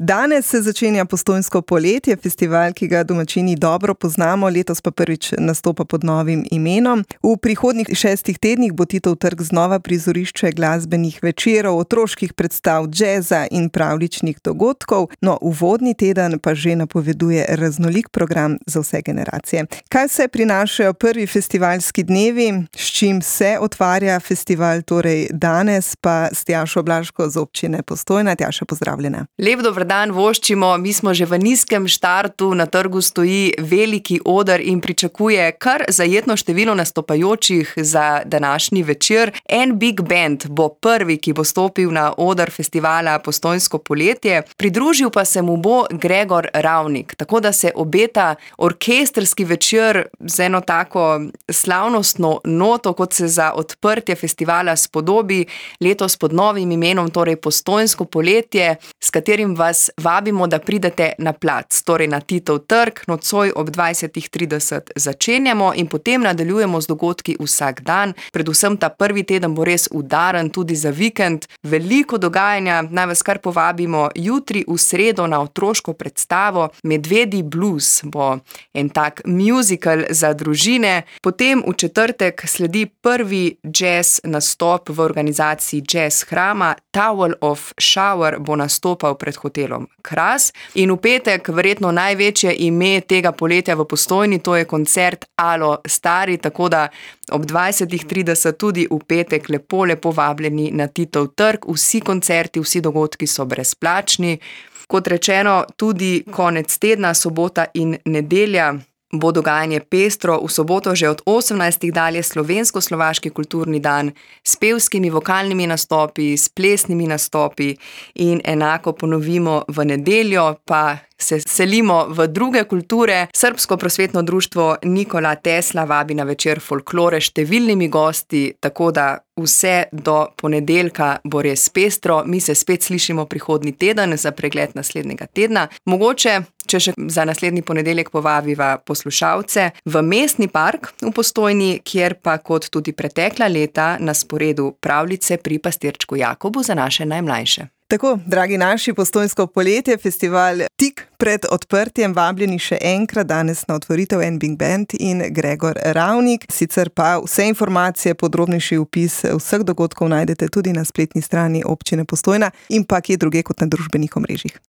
Danes se začenja Postojnsko poletje, festival, ki ga domačini dobro poznamo, letos pa prvič nastopa pod novim imenom. V prihodnjih 6 tednih bo Titov trg znova prizorišče glasbenih večerov, otroških predstav, džeza in pravljičnih dogodkov. No, uvodni teden pa že napoveduje raznolik program za vse generacije. Kaj vse prinašajo prvi festivalski dnevi, s čim se otvarja festival, torej danes pa s Tjašo Blaško z občine Postojna. Tjaša, pozdravljena. Lep dober dan voščimo, mi smo že v nizkem štartu, na trgu stoji veliki oder in pričakuje kar zajetno število nastopajočih za današnji večer. En big band bo prvi, ki bo stopil na oder festivala Postojnsko poletje, pridružil pa se mu bo Gregor Ravnik, tako da se obeta orkestrski večer z eno tako slavnostno noto, kot se za odprtje festivala spodobi, letos pod novim imenom, torej Postojnsko poletje, s katerim vas vabimo, da pridete na plac, torej na Titov trg, nocoj ob 20:30 začenjamo in potem nadaljujemo z dogodki vsak dan. Predvsem ta prvi teden bo res udaren tudi za vikend. Veliko dogajanja, naj vas kar povabimo jutri v sredo na otroško predstavo Medvedji blues, bo en tak musical za družine. Potem v četrtek sledi prvi jazz nastop v organizaciji Jazz Hrama. Towel of Shower bo nastopal pred hotelom Kras. In v petek verjetno največje ime tega poletja v Postojni, to je koncert Alo Stari, tako da ob 20:30 tudi v petek lepo vabljeni na Titov trg. Vsi koncerti, vsi dogodki so brezplačni. Kot rečeno, tudi konec tedna, sobota in nedelja, bo dogajanje pestro. V soboto že od 18. dalje slovensko-slovaški kulturni dan s pevskimi vokalnimi nastopi, s plesnimi nastopi in enako ponovimo v nedeljo, pa se selimo v druge kulture. Srbsko prosvetno društvo Nikola Tesla vabi na večer folklore s številnimi gosti, tako da vse do ponedeljka bo res pestro. Mi se spet slišimo prihodnji teden za pregled naslednjega tedna. Mogoče, če še za naslednji ponedeljek povabiva poslušalce v Mestni park v Postojni, kjer pa kot tudi pretekla leta na sporedu pravljice pri pastirčku Jakobu za naše najmlajše. Tako, dragi naši, Postojnsko poletje, festival tik pred odprtjem, vabljeni še enkrat danes na otvoritev en big band in Gregor Ravnik. Sicer pa vse informacije, podrobnejši opis vseh dogodkov najdete tudi na spletni strani občine Postojna in pa kje druge kot na družbenih omrežjih.